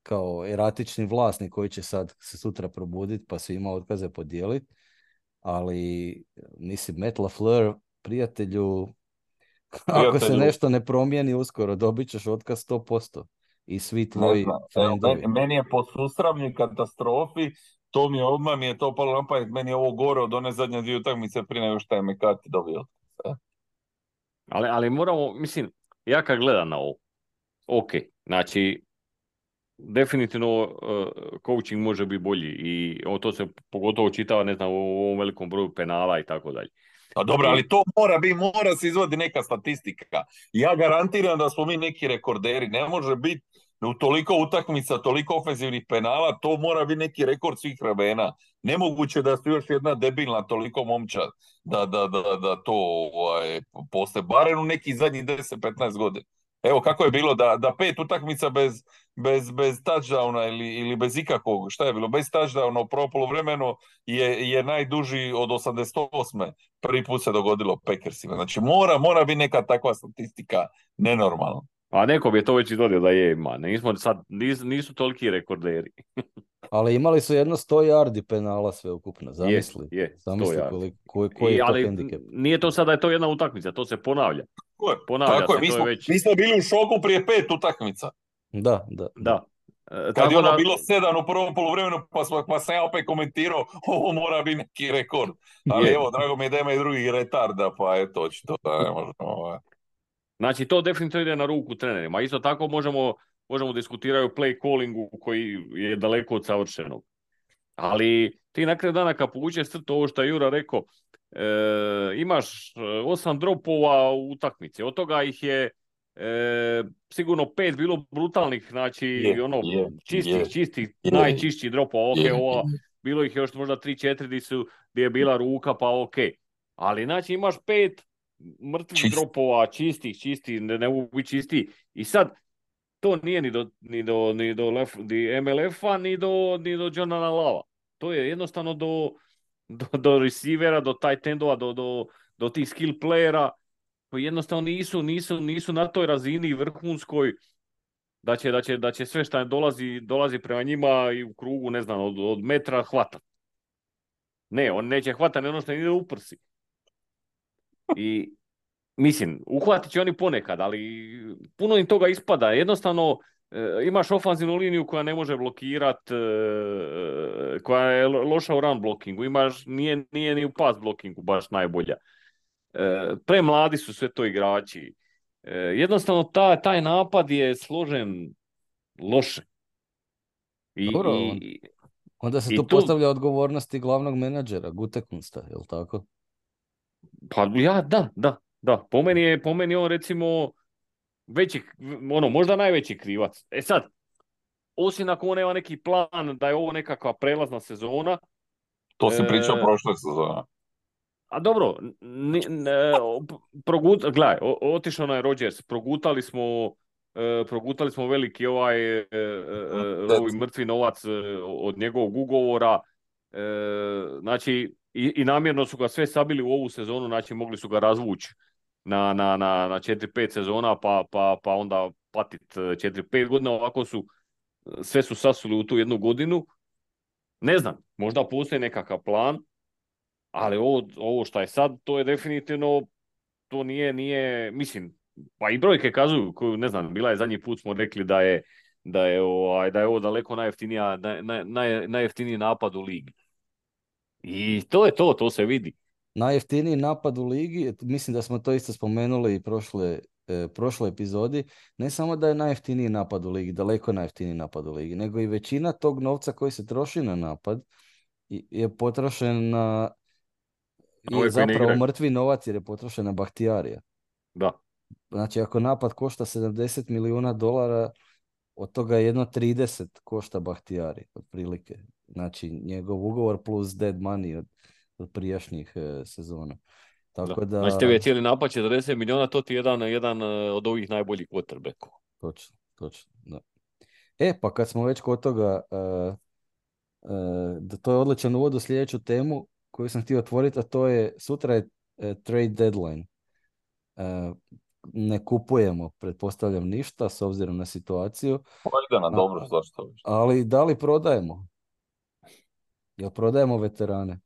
S1: kao eratični vlasnik koji će sad se sutra probuditi pa svima otkaze podijeliti. Ali, mislim, Matt LaFleur, prijatelju, ako se nešto ne promijeni uskoro, dobit ćeš otkaz 100%. I svi tvoji friendovi.
S2: Meni je po susramnoj katastrofi, odmah mi je to palo na pamet, meni je ovo gore od one zadnje dvije utakmice prije nego što je McCarthy dobio.
S3: Ali moramo, mislim, ja kad gledam na ovo, ok, znači, definitivno coaching može biti bolji i to se pogotovo čitava, ne znam, u ovom velikom broju penala i tako dalje.
S2: Pa dobro, ali to mora se izvadi neka statistika. Ja garantiram da smo mi neki rekorderi. Ne može biti u toliko utakmica, toliko ofenzivnih penala, to mora biti neki rekord svih vremena. Nemoguće da su još jedna debilna toliko momčad da to postoje. Barem u nekih zadnjih 10-15 godina. Evo kako je bilo da 5 utakmica bez touchdowna ili bez ikakvog, šta je bilo, bez touchdowna u prvom poluvremenu je najduži od 88. Prvi put se dogodilo Packersima. Znači mora biti neka takva statistika nenormalna.
S3: A neko bi je to već izvodio da je, nisu toliki rekorderi.
S1: Ali imali su jedno 100 yardi penala sve ukupno, zamisli. Zamisli koji je to hendikep.
S3: Nije to sad da je to jedna utakmica, to se ponavlja.
S2: Tako je, mi smo bili u šoku prije 5 utakmica.
S1: Da.
S2: Kad je bilo 7 u prvom poluvremenu, pa sam ja opet komentirao, ovo mora biti neki rekord. Ali evo, drago mi je da ima i drugih retarda, pa eto, očito da ne možemo.
S3: Znači, to definitivno ide na ruku trenerima. Isto tako možemo diskutirati o play callingu koji je daleko od savršenog. Ali ti na kraju dana kad povučeš crtu ovo što je Jura rekao, imaš 8 dropova u utakmici. Od toga ih je sigurno 5 bilo brutalnih, znači čistih, najčišćih dropova. Bilo ih još možda 3-4 gdje je bila ruka, pa ok. Ali znači imaš 5 mrtvih dropova, čistih, ne mogu biti čisti. I sad, to nije ni do MLF-a, ni do Jonana Lava. To je jednostavno do receivera, do tight endova, do tih skill playera, koji jednostavno nisu na toj razini vrhunskoj, da će sve što dolazi prema njima i u krugu, ne znam, od metra hvata. Ne, on neće hvatati ono što ide u prsi. I mislim, uhvatit će oni ponekad, ali puno im toga ispada. Jednostavno, imaš ofanzivnu liniju koja ne može blokirati, koja je loša u run blockingu, nije ni u pass blockingu baš najbolja. Premladi su sve to igrači. Jednostavno, taj napad je složen loše.
S1: Dobro, onda se tu postavlja odgovornosti glavnog menadžera, Gutekunsta, je li tako?
S3: Pa da. Po meni on recimo veći, možda najveći krivac. Sad, osim ako on nema neki plan da je ovo nekakva prelazna sezona.
S2: To si pričao prošle sezone.
S3: A dobro, gledaj, otišao na Rodgers, progutali smo veliki ovaj mrtvi novac od njegovog ugovora. Znači, i namjerno su ga sve sabili u ovu sezonu, znači mogli su ga razvući na 4-5 sezona, pa onda patiti 4-5 godina, ovako sve su sasuli u tu jednu godinu. Ne znam, možda postoji nekakav plan, ali ovo što je sad, to je definitivno, to nije, mislim, pa i brojke kazuju, ne znam, bila je zadnji put smo rekli da je ovo daleko najjeftiniji napad u ligi. I to je to se vidi.
S1: Najjeftiniji napad u ligi, mislim da smo to isto spomenuli i prošloj epizodi, ne samo da je najjeftiniji napad u ligi, daleko najjeftiniji napad u ligi, nego i većina tog novca koji se troši na napad je potrošen na, je
S3: Ove koji ne
S1: zapravo
S3: igraju.
S1: mrtvi novac jer je potrošen na Bahtijarija.
S3: Da.
S1: Znači ako napad košta 70 milijuna dolara, od toga jedno 30 košta Bahtijari, otprilike. Znači njegov ugovor plus dead money od prijašnjih sezona.
S3: Da.
S1: Tako da...
S3: Znači tebi je cijeli napad 40 milijuna, to ti je jedan od ovih najboljih quarterbackova.
S1: Točno, da. Pa kad smo već kod toga, da to je odličan uvod u sljedeću temu koju sam htio otvoriti, a to je sutra je trade deadline. Ne kupujemo, pretpostavljam, ništa s obzirom na situaciju.
S2: Ide na dobro, zašto?
S1: Ali da li prodajemo? Jel prodajemo veterane?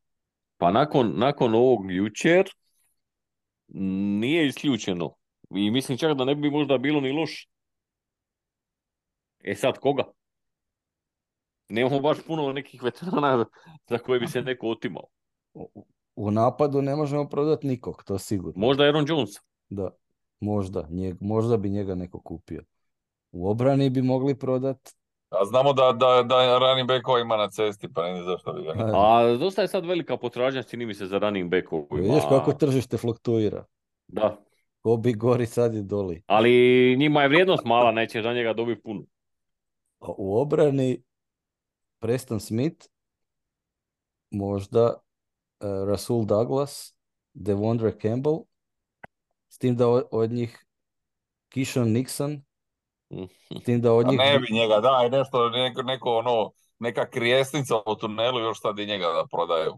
S3: Pa nakon ovog jučer nije isključeno. I mislim čak da ne bi možda bilo ni loše. Sad koga? Nemamo baš puno nekih veterana za koje bi se neko otimao.
S1: U napadu ne možemo prodati nikog, to sigurno.
S3: Možda Aaron Jones.
S1: Da, možda bi njega neko kupio. U obrani bi mogli prodati.
S2: A znamo da running backova ima na cesti, pa ne znam zašto bi ga niko.
S3: A dosta je sad velika potražnja, čini mi se, za running backovima.
S1: Vidiš kako tržište fluktuira.
S3: Da.
S1: Ko bi gori, sad je doli.
S3: Ali njima je vrijednost mala, neće za njega dobiti puno.
S1: U obrani Preston Smith, možda Rasul Douglas, Devondre Campbell, s tim da od njih Kishon Nixon, s tim da od njih...
S2: Ne bi njega, daj nešto, neka krijesnica u tunelu, još sad i njega da prodaju.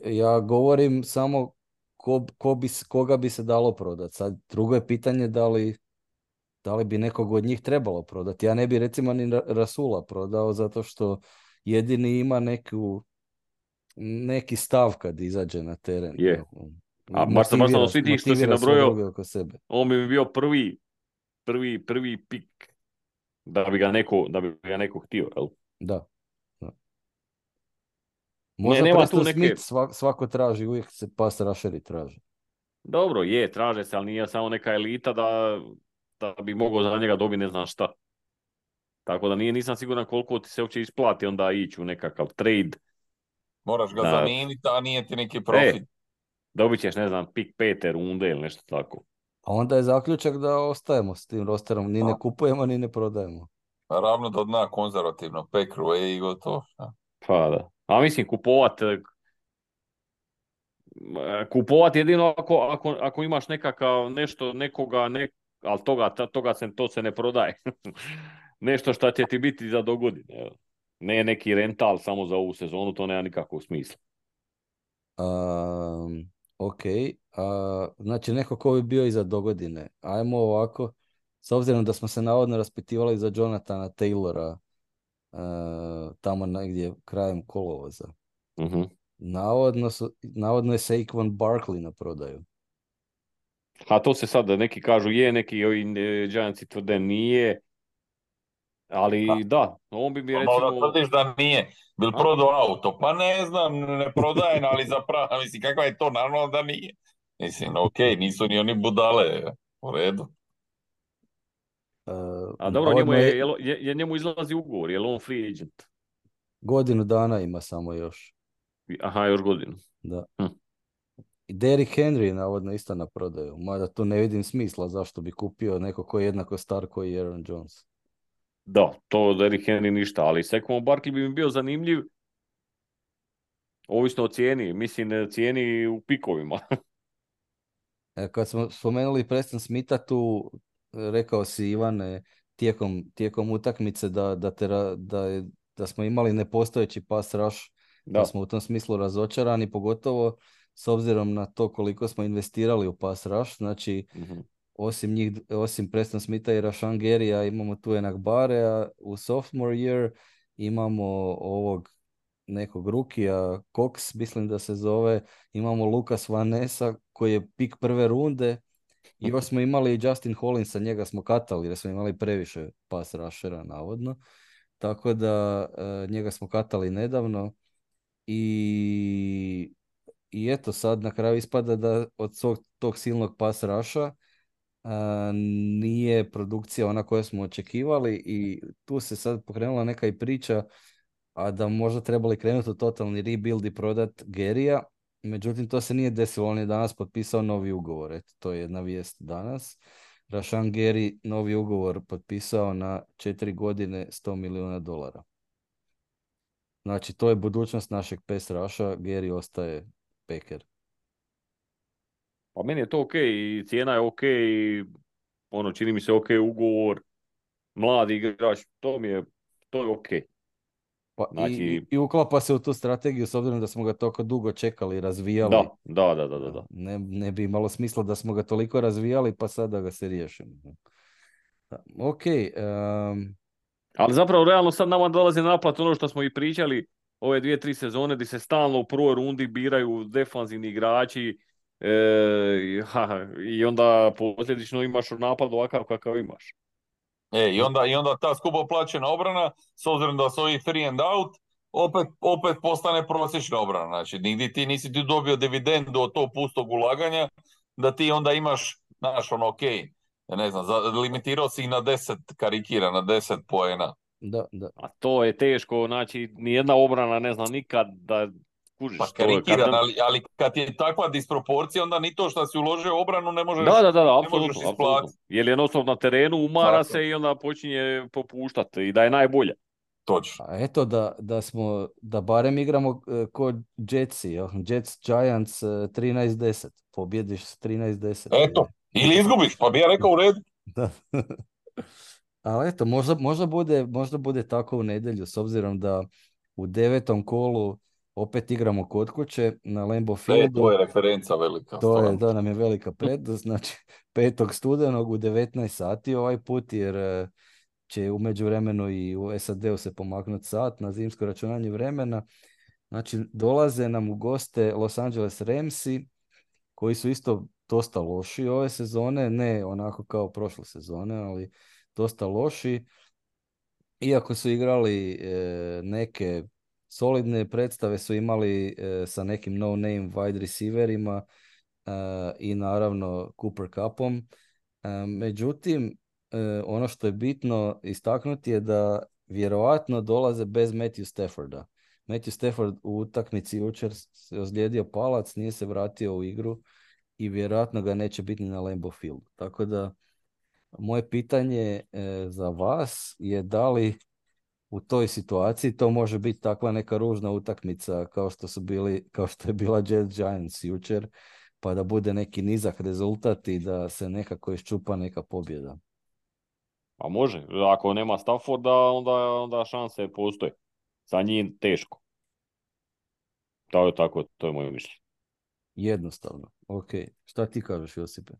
S1: Ja govorim samo koga bi se dalo prodati. Sad drugo je pitanje da li bi nekog od njih trebalo prodati. Ja ne bi recimo ni Rasula prodao zato što jedini ima neki stav kad izađe na teren.
S3: Je. A baš sam svi tih što si nabrojao, on bi bio prvi pik da bi ga neko htio, jel?
S1: Da. Možda Preston Smith svako traži, uvijek se pass rusheri traži.
S3: Dobro, traže se, ali nije samo neka elita da bi mogao za njega dobiti ne znam šta. Tako da nisam siguran koliko ti se uopće isplati onda ići u nekakav trade.
S2: Moraš ga zamijeniti, a nije ti neki profit.
S3: Dobit ćeš, ne znam, pik 5. runde ili nešto tako.
S1: A onda je zaključak da ostajemo s tim rosterom. Ni ne kupujemo, ni ne prodajemo.
S2: Ravno do dna konzervativno. Pekru i gotovo.
S3: Pa da. A mislim, kupovat jedino ako imaš nekakav nešto, ali to se ne prodaje. Nešto što će ti biti za dogodine. Ne neki rental samo za ovu sezonu, to nema nikakvog smisla.
S1: Ok, znači neko ko bi bio i za dogodine. Ajmo ovako, s obzirom da smo se navodno raspitivali za Jonathana Taylora tamo negdje krajem kolovoza.
S3: Uh-huh.
S1: Navodno je Saquon Barkley na prodaju.
S3: A to se sad neki kažu neki ovi Giantsi tvrde nije, ali da, on bi recimo...
S2: Malo da tvrdiš da nije, bil prodao auto, pa ne znam, ne prodajem, ali zapravo, mislim, kakva je to, naravno da nije. Mislim, okej, nisu ni oni budale, u redu.
S3: A dobro, njemu izlazi ugovor, je li on free agent?
S1: Godinu dana ima samo još.
S3: Aha, još godinu.
S1: Da. I Derrick Henry je navodno isto na prodaju, mada tu ne vidim smisla zašto bi kupio neko koji je jednako star koji je Aaron Jones.
S3: Da, to Derrick Henry ništa, ali Saquon Barkley bi mi bio zanimljiv, ovisno o cijeni, mislim cijeni u pikovima.
S1: Kad smo spomenuli Preston Smitha, tu rekao si, Ivane, tijekom utakmice da smo imali nepostojeći pass rush, da smo u tom smislu razočarani, pogotovo s obzirom na to koliko smo investirali u pass rush. Znači, osim Preston Smitha i Rashan Garyja imamo tu Enak Barea u sophomore year, imamo ovog nekog rukija, Cox, mislim da se zove, imamo Lucas Van Nessa koji je pik prve runde i još smo imali i Justin Hollinsa, njega smo katali jer smo imali previše pass rushera navodno, tako da njega smo katali nedavno i eto sad na kraju ispada da od tog silnog pass rusha nije produkcija ona koju smo očekivali i tu se sad pokrenula neka i priča, a da možda trebali krenuti u totalni rebuild i prodat Gerija, međutim to se nije desilo, on je danas potpisao novi ugovor, eto, to je jedna vijest danas. Rashan Gary novi ugovor potpisao na 4 godine $100 milijuna. Znači to je budućnost našeg pass rusha, Gary ostaje Packer.
S3: Pa meni je to ok i cijena je ok i ono, čini mi se ok ugovor, mladi igrač, to je ok.
S1: Pa
S3: Znači,
S1: i uklapa se u tu strategiju s obzirom da smo ga toliko dugo čekali i razvijali.
S3: da.
S1: Ne bi imalo smisla da smo ga toliko razvijali pa sad da ga se riješimo. Da, ok.
S3: Ali zapravo realno sad nama dolazi na naplatu ono što smo i pričali ove 2-3 sezone gdje se stalno u prvoj rundi biraju defanzivni igrači i onda posljedično imaš napad ovakav kakav imaš.
S2: I onda ta skupo plaćena obrana, s obzirom da su ovi free and out, opet postane prosječna obrana. Znači, nigdje ti nisi ti dobio dividendu od tog pustog ulaganja, da ti onda imaš, znaš, ono, ok, ne znam, limitirao si ih na 10 karikira, na 10 poena.
S1: Da.
S3: A to je teško, znači, nijedna obrana ne zna nikad da kužiš.
S2: Pa karikiran, ali kad je takva disproporcija, onda ni to što si uložio u obranu ne možeš
S3: apsolutno. Jer jednostavno na terenu umara se i onda počinje popuštati i da je najbolja.
S2: Točno.
S1: A eto da barem igramo kod Jetsi, Jets Giants 13-10, pobjediš s 13-10.
S2: Eto, ili izgubiš, pa bi ja rekao u redu.
S1: Da. Ali eto, možda bude tako u nedjelju, s obzirom da u 9. kolu opet igramo kod kuće na Lambeau Fieldu.
S2: To je referenca velika.
S1: To nam je velika prednost, znači 5. studenog u 19 sati ovaj put, jer će u međuvremenu i u SAD-u se pomaknuti sat na zimsko računanje vremena. Znači, dolaze nam u goste Los Angeles Ramsi, koji su isto dosta loši ove sezone, ne onako kao prošle sezone, ali dosta loši. Iako su igrali neke solidne predstave, su imali sa nekim no-name wide receiverima i naravno Cooper Cupom. Međutim, ono što je bitno istaknuti je da vjerojatno dolaze bez Matthew Stafforda. Matthew Stafford u utakmici jučer se ozlijedio palac, nije se vratio u igru i vjerojatno ga neće biti ni na Lambeau Fieldu. Tako da moje pitanje za vas je da li u toj situaciji to može biti takva neka ružna utakmica kao što je bila Jets Giants jučer, pa da bude neki nizak rezultat i da se nekako iščupa neka pobjeda.
S3: Pa može, ako nema Stafforda, onda šanse postoje. Sa njim teško. To je moje mišljenje.
S1: Jednostavno, ok. Šta ti kažeš, Josipe?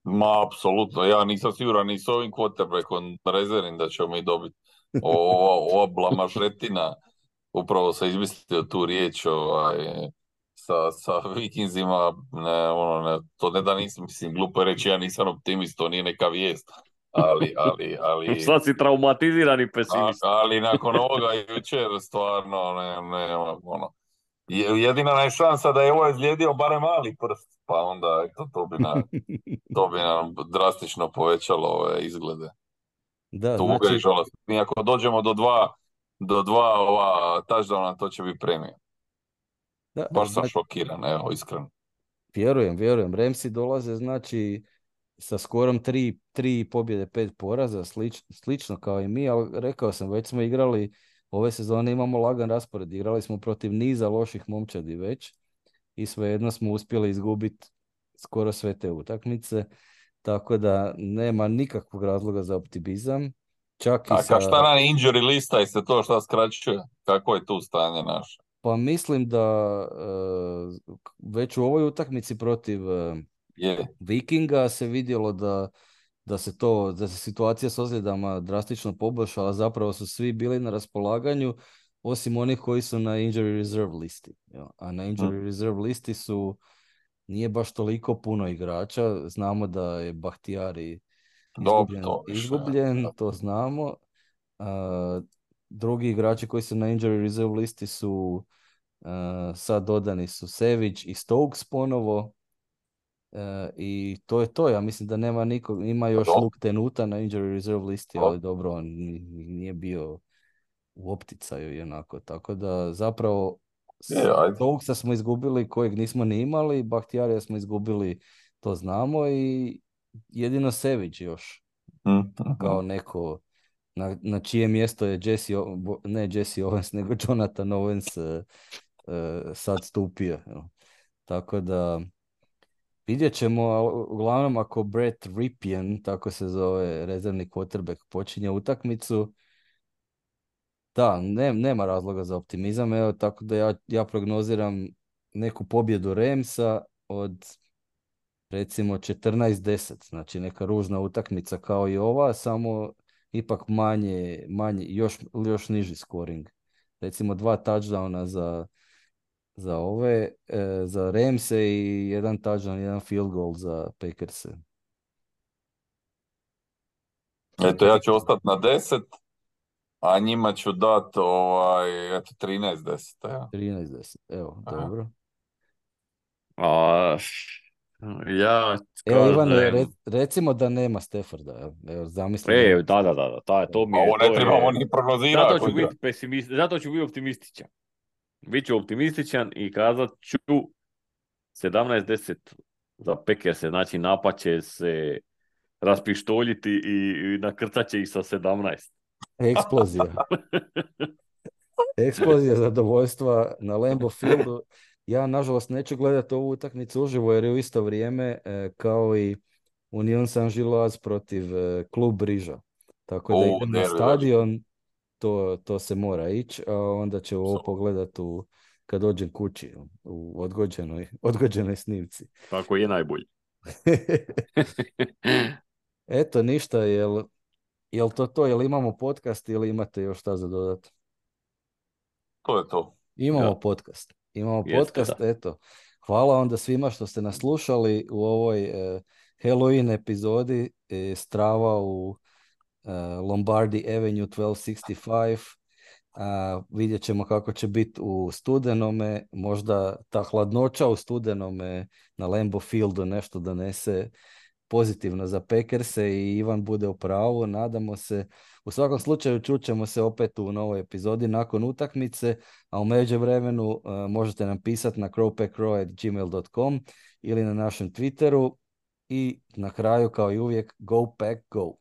S2: Ma, apsolutno, ja nisam siguran ni s ovim quarterbackom rezervnim da ćemo mi dobiti. Ova blamažetina, upravo se izmislio tu riječ sa Vikingsima, to ne da nisam, mislim, glupo je reći, ja nisam optimist, to nije neka vijest, ali
S3: Sad si traumatizirani pesimist.
S2: Ali nakon ovoga jučer stvarno jedina je šansa da je ovo izlijedio barem mali prst, pa onda to bi nam drastično povećalo ove izglede.
S1: Da,
S2: tuga i žalost. Mi ako dođemo do dva ova touchdowna, to će biti premija. Baš sam šokiran, evo, iskreno.
S1: Vjerujem. Ramsi dolaze, znači, sa skorom 3 pobjede, 5 poraza, slično kao i mi, ali rekao sam, već smo igrali, ove sezone imamo lagan raspored, igrali smo protiv niza loših momčadi već i svejedno smo uspjeli izgubiti skoro sve te utakmice, tako da nema nikakvog razloga za optimizam.
S2: Šta nam injury lista i se to šta skraćuje? Kako je tu stanje naše?
S1: Pa mislim da već u ovoj utakmici protiv Vikinga se vidjelo da se situacija s ozljedama drastično poboljšala, zapravo su svi bili na raspolaganju osim onih koji su na injury reserve listi. Jel? A na injury reserve listi nije baš toliko puno igrača. Znamo da je Bahtijari
S2: Dobro, to više.
S1: izgubljen, to znamo. Drugi igrači koji su na injury reserve listi su sad dodani su Sević i Stokes ponovo. I to je to. Ja mislim da nema nikog. Ima još Luke Tenuta na injury reserve listi, ali dobro, on nije bio u opticaju i onako. Tako da zapravo Stokesa smo izgubili kojeg nismo ni imali, Bahtijarija smo izgubili, to znamo, i jedino Sević još kao neko na čije mjesto je ne Jesse Owens, nego Jonathan Owens sad stupio. Tako da vidjet ćemo, uglavnom ako Brett Ripien, tako se zove rezervni quarterback, počinje utakmicu, da, nema razloga za optimizam, evo, tako da ja prognoziram neku pobjedu Ramsa od recimo 14-10, znači neka ružna utakmica kao i ova, samo ipak manje još niži scoring. Recimo 2 touchdowna za Ramse i 1 touchdown, 1 field goal za Packerse.
S2: Eto, ja ću ostati na 10, a njima ću dati 13-10. Ja.
S1: 13-10, evo, dobro.
S3: Ja
S1: evo, Ivane,
S3: kažem...
S1: recimo da nema Stafforda. Evo, zamisli.
S3: Da. To mi je...
S2: Ovo ne trebamo ni prognozirati.
S3: Zato ću biti optimističan. Biću optimističan i kazat ću 17-10 za Packers, znači napad će se raspištoljiti i nakrcat će ih sa 17.
S1: Eksplozija. Eksplozija zadovoljstva na Lambeau Fieldu. Ja, nažalost, neću gledati ovu utakmicu uživo jer je u isto vrijeme kao i Union Saint-Gilloise protiv Klub Briža. Tako da idem na stadion, to se mora ići, a onda ću ovo pogledati kad dođem kući u odgođenoj snimci.
S3: Tako je najbolji.
S1: Eto, ništa, jel to, jel imamo podcast ili imate još šta za dodati?
S2: To je to.
S1: Imamo podcast. Eto. Hvala onda svima što ste nas slušali u ovoj Halloween epizodi Strava u Lombardi Avenue 1265. Vidjet ćemo kako će biti u studenome, možda ta hladnoća u studenome na Lambeau Fieldu nešto donese pozitivno za Packerse i Ivan bude u pravu, nadamo se. U svakom slučaju čućemo se opet u novoj epizodi nakon utakmice, a u međuvremenu možete nam pisati na crowpackcrow@gmail.com ili na našem Twitteru i na kraju kao i uvijek Go Pack Go!